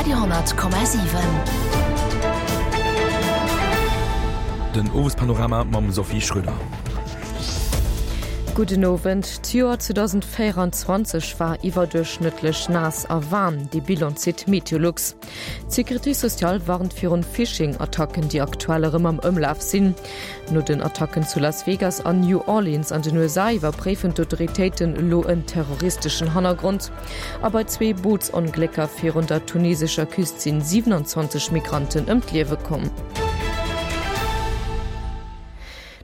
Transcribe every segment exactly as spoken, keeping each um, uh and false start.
Radio honnert Komma siwen. Den Owespanorama mam Sophie Schröder. Gudden Owend. D'Joer zweedausendvéieranzwanzeg war iwwerduerchschnëttlech naass a waarm, dee Bilan zitt Meteolux. D'Sécurité sociale warnt virun Phishing-Attacken, déi aktuell erëm am Ëmlaf sinn. No den Attacken zu Las Vegas an New Orleans an den U S A iwwerpréifen d'Autoritéiten elo en terroristeschen Hannergrond. A bei zwee Bootsonglécker virun der tunesescher Küst sinn siewenundzwanzeg Migranten ëm d'Liewe komm.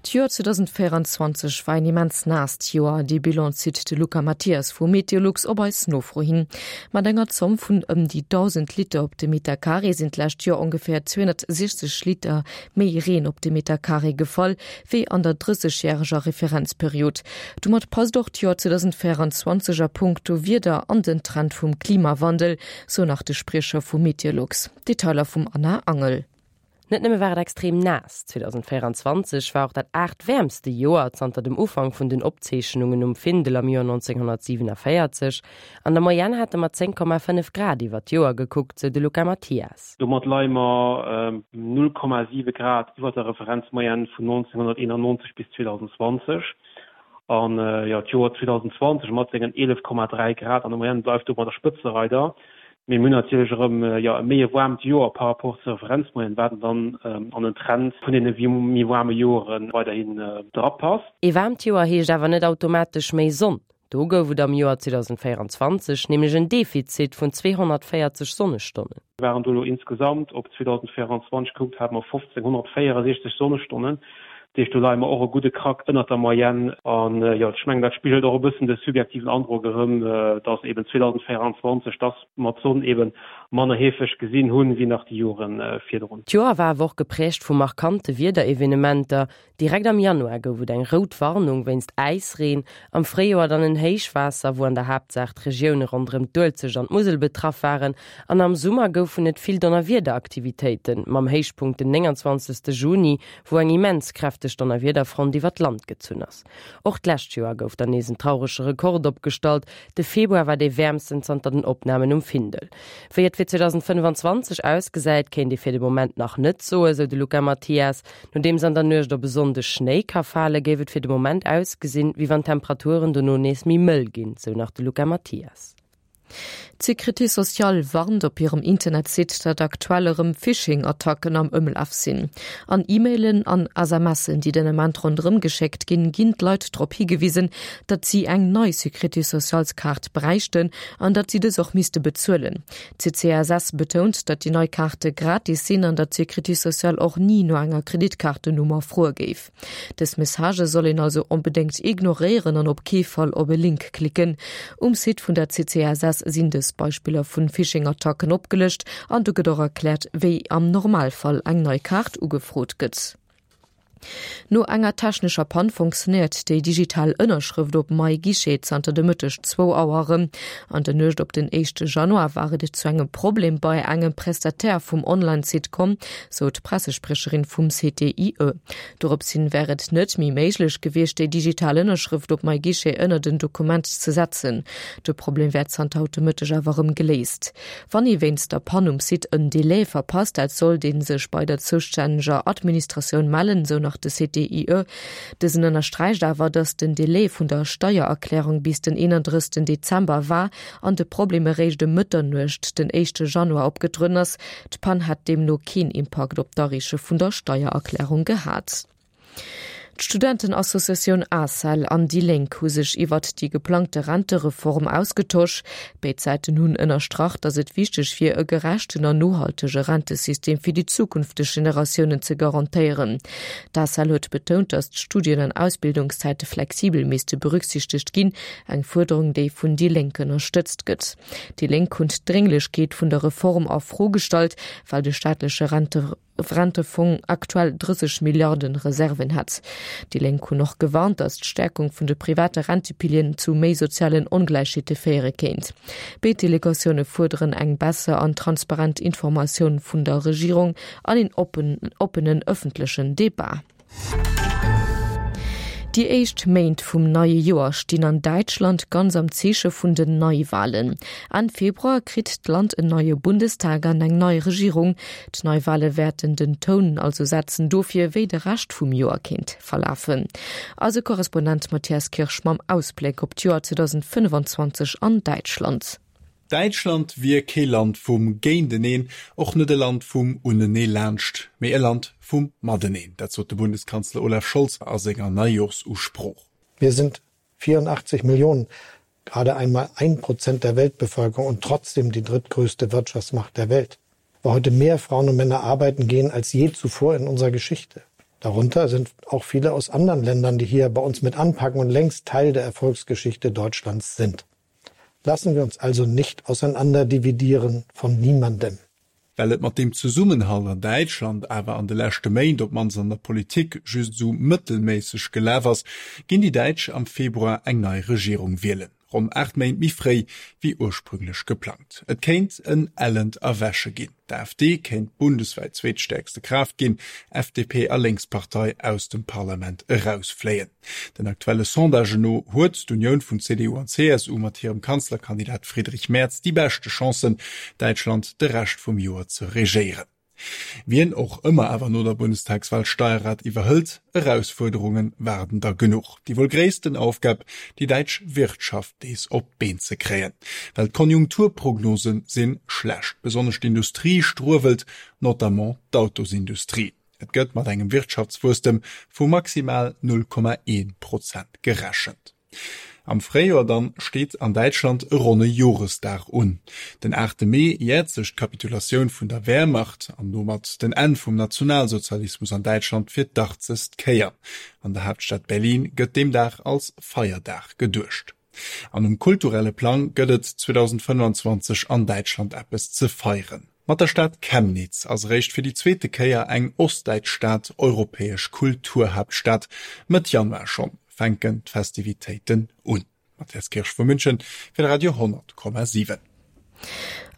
D'Joer zweedausendvéieranzwanzeg war een immens naasst Joer. Dee Bilan zitt de Luca Mathias vu Meteolux op eis Nofro hin. Mat enger Zomm vun ëm déi dausend Liter op de Meter Carré sinn d'lescht Joer ongeféier zweehonnertsechzeg Liter méi Reen op de Meter Carré gefall, wéi an der drëssegjäreger Referenzperiod. Domat passt och d'Joer zweedausendvéieranzwanzeg a punkto Wieder an den Trend vum Klimawandel, sou nach de Spriecher vu Meteolux. Detailer vum Anna Angel. Net nëmme war et extrem naass, zweedausendvéieranzwanzeg war och dat aachtwäermste Joer zanter dem Ufank vun den Opzeechnungen um Findel am Joer neunzehnhundertsiebenundvierzig. An der Moyenne hate mer zéng Komma fënnef Grad iwwer d'Joer gekuckt, sou de Luca Mathias. Domat leie mer null Komma siwe Grad iwwer der Referenzmoyenne vun neunzehnhunderteinundneunzig bis zweitausendzwanzig. An, jo, d'Joer zweitausendzwanzig mat sengen eelef Komma dräi Grad an der Moyenne bleift domat der Spëtzereider. Mee mir hunn natierlech erëm, jo, e méi e waarmt Joer par rapport zur Referenzmoyenne, wat dann an den Trend vun deene méi waarme Joren weiderhin drapasst. E waarmt Joer heescht awer net automatesch méi Sonn. Do gouf et am Joer zweitausendvéieranzwanzeg nämlech en Defizit vun zweehonnertvéierzeg Sonnestonnen. Wir waren do elo insgesamt op zweitausendvéieranzwanzeg gekuckt, haten mer fofzénhunnertvéierundsechzeg Sonnestonnen. Dat heescht, do leie mer och e gudde Krack ënnert der Moyenne. An, jo, ech mengen, dat spigelt och e bëssen de subjektiven Androck erëm, dass eben zweitausendvéieranzwanzeg, dass mer d'Sonn eben manner heefeg gesinn hunn, wéi nach déi Joren virdrun. D'Joer war awer och geprägt vu markante Wiederevenementer. Direkt am Januar gouf et eng rout Warnung wéinst Äisreen, am Fréijoer dann en Héichwaasser, wou an der Haaptsaach d'Regioune ronderëm d'Uelzecht an d'Musel betraff waren, an am Summer goufen et vill Donnerwiederaktivitéiten, mam Héichpunkt den neunundzwanzigsten Juni, wou eng immens kräfteg Donnerwiederfront iwwer d'Land gezunn ass. Och d'lescht Joer gouf dann nees en traurege Rekord opgestallt. De Februar war dee wäermsten zanter den Opnamen um Findel. Wéi et fir zweitausendfënnefanzwanzeg ausgesäit, kéint ee fir de Moment nach net soen, sou de Luca Mathias. Nodeems an der Nuecht op e Sonndeg Schnéi ka fale, géif et fir de Moment ausgesinn, wéi wann d'Temperaturen dono nees méi mëll ginn, sou nach de Luca Mathias. D'Sécurité sociale warnt op hirem Internetsite, datt aktuell erëm Phishing-Attacken am Ëmlaf sinn. An E-Mailen an S M Sen, déi den Ament ronderëm geschéckt ginn, ginn d'Leit drop higewisen, datt si eng nei Sécurité socialskaart bräichten an datt si dës och misste bezuelen. D C C S S betount, datt déi nei Kaarte gratis sinn an datt d'Sécurité sociale och ni no enger Kreditkartennummer froe géif. Dës Message soll een also onbedéngt ignoréieren an op kee Fall op e Link klicken. Um Site vun der C C S S sinn dës Beispiller vun Phishing-Attacken opgelëscht an do gëtt och erkläert, wéi am Normalfall eng nei Kaart ugefrot gëtt. No enger technescher Pann funktionéiert déi digital Ënnerschrëft op MyGuichet zanter de Mëtteg zwou Auer erëm. An der Nuecht op den éischte Januar war et zu engem Problem bei engem Prestataire vum Online-Site komm, sou d'Pressesprecherin vum C T I E. Doropshin wär et net méi méiglech gewiescht, déi digital Ënnerschrëft op MyGuichet ënner den Dokument ze setzen. De Problem wär zanter haut de Mëtteg awer erëm geléist. Wann ee wéinst der Pann um Site en Delai verpasst hat, sollt een sech bei der zuständiger Administratioun mellen, sou nach de C T I E. Dësen ënnersträicht awer, datt den Delai vun der Steiererklärung bis den einunddreißigsten Dezember war an de Problem eréischt um Mëtternuecht den éischte Januar opgetrueden ass. D'Pann hat deemno keen Impakt op d'Areeche vun der Steiererklärung gehat. D'Studentenassociatioun A S E L an déi Lénk hu sech iwwer déi geplangte Rentereform ausgetosch. Béid Säiten hunn ënnerstrach, datt et wichteg wier, e gerechten an nohaltege Rentesystem fir déi zukünfteg Generatiounen ze garantéieren. D'A S E L huet betount, datt d'Studien- an Ausbildungszäite flexibel misste berücksichtegt ginn, eng Fuerderung, déi vun déi Lénk ënnerstëtzt gëtt. Déi Lénk hunn d'Drénglechkeet vun der Reform a Fro gestallt, well de staatleche Rente Rentefong aktuell dreißig Milliarden Reserven hat. Die Lénk hunn och gewarnt, datt d'Stärkung vun de private Rentepilien zu méi sozialen Ongleichheete féiere kéint. Béid Delegatioune fuerderen eng besser an transparent Informatioun vun der Regierung an een oppen, oppenen ëffentlechen Debat. Déi éischt Méint vum neie Joer stinn an Däitschland ganz am Zeeche vun den Neiwalen. Enn Februar kritt d'Land en neie Bundestag an eng nei Regierung. D'Neiwale wäerten den Toun also setzen dofir, wéi de Rescht vum Joer kéint verlafen. Eise Korrespondent Matthias Kirsch mam Ausbléck op d'Joer zweedausendfënnefanzwanzeg an Däitschland. Däitschland wier kee Land vum Géinteneen, och net e Land vum Uneneelaanscht, mee e Land vum Mateneen. Dat sot de Bundeskanzler Olaf Scholz a senger Neijorsusprooch. Wir sind vierundachtzig Millionen, gerade einmal ein Prozent der Weltbevölkerung und trotzdem die drittgrößte Wirtschaftsmacht der Welt. Wo heute mehr Frauen und Männer arbeiten gehen als je zuvor in unserer Geschichte. Darunter sind auch viele aus anderen Ländern, die hier bei uns mit anpacken und längst Teil der Erfolgsgeschichte Deutschlands sind. Lassen wir uns also nicht auseinanderdividieren von niemandem. Well et mat deem Zesummenhalt an Däitschland awer an de leschte Méint, op d'mannst an der Politik, just esou mëttelméisseg gelaf ass, ginn déi Däitsch am Februar eng nei Regierung wielen, ronn aacht Méint méi fréi wéi ursprünglech geplangt. Et kéint en ellent Erwäche ginn. D'AfD kéint bundeswäit zweetstäerkste Kraaft ginn, F D P a Lénkspartei aus dem Parlament erausfléien. Den aktuelle Sondagen no huet d'Unioun vun C D U an C S U mat hirem Kanzlerkandidat Friedrich Merz déi beschte Chancen, Däitschland de Rescht vum Joer ze regéieren. Wien och ëmmer awer no der Bundestagswahl d'Steierrad iwwerhëlt, Erausfuerderunge waarden der genuch. Déi wuel gréissten Aufgab, déi däitsch Wirtschaft nees op d'Been ze kréien. Well d'Konjunkturprognose si schlecht, besonnesch d'Industrie struewelt, notamment d'Autosindustrie. Et gëtt mat engem Wirtschaftswuesstem vu maximal null Komma een Prozent gerechent. Am Fréijoer dann steet an Däitschland e ronne Joresdag un. Den aachte Mee jäert sech d'Kapitulatioun vun der Wehrmacht an domat den Enn vum Nationalsozialismus an Däitschland fir d'achtzegst Kéier. An der Haaptstad Berlin gëtt deem Dag als Feierdag geduecht. An um kulturelle Plang gëtt et zweedausendfënnefanzwanzeg an Däitschland eppes ze feieren. Mat der Stad Chemnitz ass eréischt fir déi zweete Kéier eng ostdäitsch Stad europäesch Kulturhaaptstad. Mëtt Januar schonn fänken d'Festivitéiten un. Matthias Kirsch vu München fir de Radio honnert Komma siwen.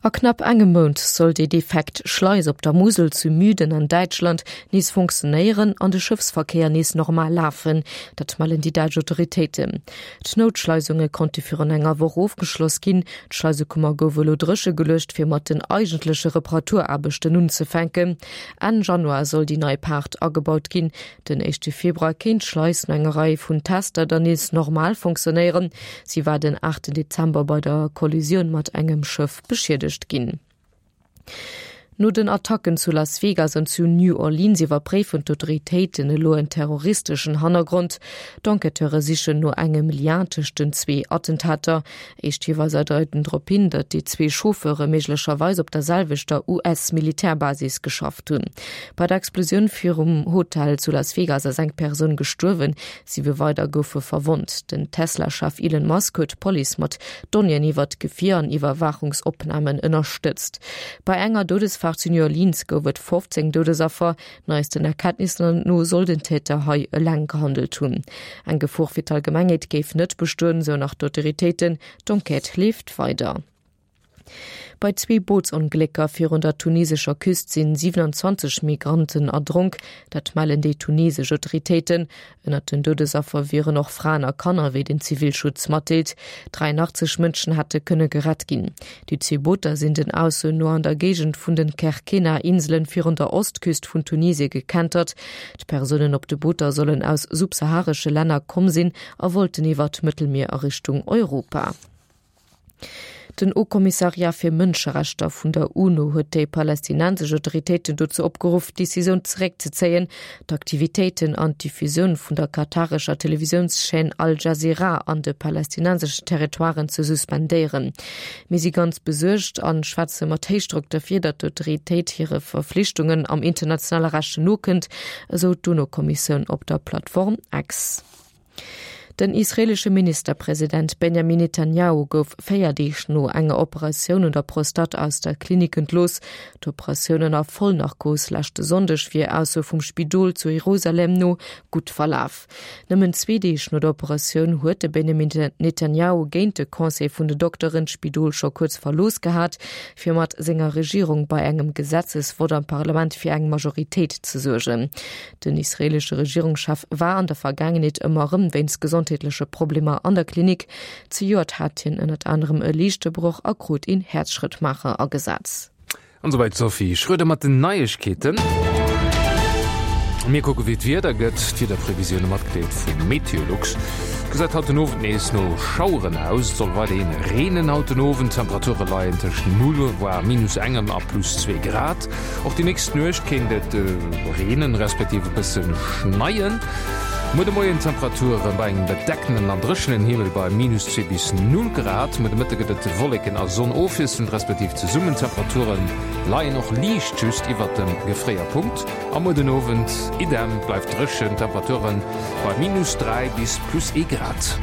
A knapp engem Mount soll déi defekt Schleis op der Musel zu Müden an Däitschland nees funktionéieren an de Schëffsverkéier nees normal lafen. Dat mellen déi däitsch Autoritéiten. D'Noutschleisunge konnte virun enger Woch ofgeschloss ginn. D'Schleisekummer gouf elo dréche geluecht, fir mat den eigentleche Reparaturaarbechten unzefänken. Enn Januar soll déi nei Paart agebaut ginn. Den éischte Februar kéint d'Schleis no enger Rei vun Tester dann nees normal funktionéieren. Si war den aachten Dezember bei der Kollisioun mat engem Schëff beschiedegt ginn. No den Attacken zu Las Vegas an zu New Orleans iwwerpréifen d'Autoritéiten elo en terroristeschen Hannergrond. D'Enquêteure sichen no engem Lien tëscht den zwee Attentater. Éischt Hiweiser deiten drop hin, datt déi zwee Chauffeure méiglecherweis op der selwechter U S-Militärbasis geschafft hunn. Bei der Explosioun virum Hotel zu Las Vegas ass eng Persoun gestuerwen, siwe weider goufe verwonnt. Den Tesla-Chef Elon Musk huet d'Police mat Donnéeën iwwer d'Gefier an Iwwerwaachungsopnamen ënnerstëtzt. Bei enger Doudesfaart zu New Orleans gouf et fofzéng Doudesaffer. Neisten Erkenntnisser no soll den Täter hei eleng gehandelt hunn. Eng Gefor fir d'Allgemengheet géif net bestoen, sou nach d'Autoritéiten. D'Enquête leeft weider. Bei zwee Bootsonglécker virun der tunesescher Küst sinn siewenanzwanzeg Migranten erdronk, dat mellen déi tunesesch Autoritéiten. Ënnert den Doudesaffer wieren och Fraen a Kanner, wéi den Zivilschutz matdeelt. Dräianachtzeg Mënschen hätte kënne gerett ginn. Déi zwee Booter sinn den Aussoen no an der Géigend vun den Kerkennah-Inselen virun der Ostküst vun Tunesie gekentert. D'Persounen op de Booter sollen aus subsaharesche Länner komm sinn a wollten iwwer d'Mëttelmier a Richtung Europa. Den Haut-Kommissariat fir Mënscherechter vun der UNO huet déi palästinensesch Autoritéiten dozou opgeruff, d'Decisioun zeréckzezéien, d'Aktivitéiten an d'Diffusioun vun der katarescher Televisiounschaîne Al-Jazeera an de palästinenseschen Territoiren ze suspendéieren. Mir si ganz besuergt an schwätze mat Héichdrock derfir, datt d'Autoritéit hire Verflichtungen am internationale Recht nokënnt, esou d'UNO-Kommissioun op der Plattform X. Den israeelesche Ministerpresident Benjamin Netanjahu gouf véier Deeg no enger Operatioun un der Prostate aus der Klinik entlooss. D'Operatioun ënner Vollnarkos leschte Sonndeg wier Ausso vum Spidol zu Jerusalem no gutt verlaf. Nëmmen zwee Deeg no der Operatioun huet de Benjamin Netanjahu géint de Conseil vun de Dokteren d'Spidol scho kuerz verlooss gehat, fir mat senger Regierung bei engem Gesetzesvott am Parlament fir eng Majoritéit ze suergen. Den israeelesche Regierungschef war an der Vergaangenheet ëmmer erëm wéinst gesondheetleche Problemer an der Klinik. Zejoert hat hien ënnert anerem e Liischtebroch a krut een Häerzschrëttmaacher agesat. An souwäit d'Sophie Schröder mat den Neiegkeeten. Mir kucke wéi d'Wieder gëtt. D'Wiederprevisioune matgedeelt vu Meteolux. Et gesäit haut den Owend nees no Schaueren aus. Et soll weiderhi reenen haut den Owend. D'Temperature leien tëscht null, voire minus engem a plus zwee Grad. Och déi nächst Nuecht kéint et reenen, respektiv e bësse schneien. Muer de Moien Temperature bei engem bedeckenen an dréchenen Himmel bei minus zwee bis null Grad. Muer de Mëtte gëtt et Wolleken a Sonn ofwiesselnd respektiv zesummen. D'Temperature leien och liicht just iwwert dem Gefréierpunkt. A muer den Owend idem, bleift dréchen, Temperature bei minus dräi bis plus ee Grad.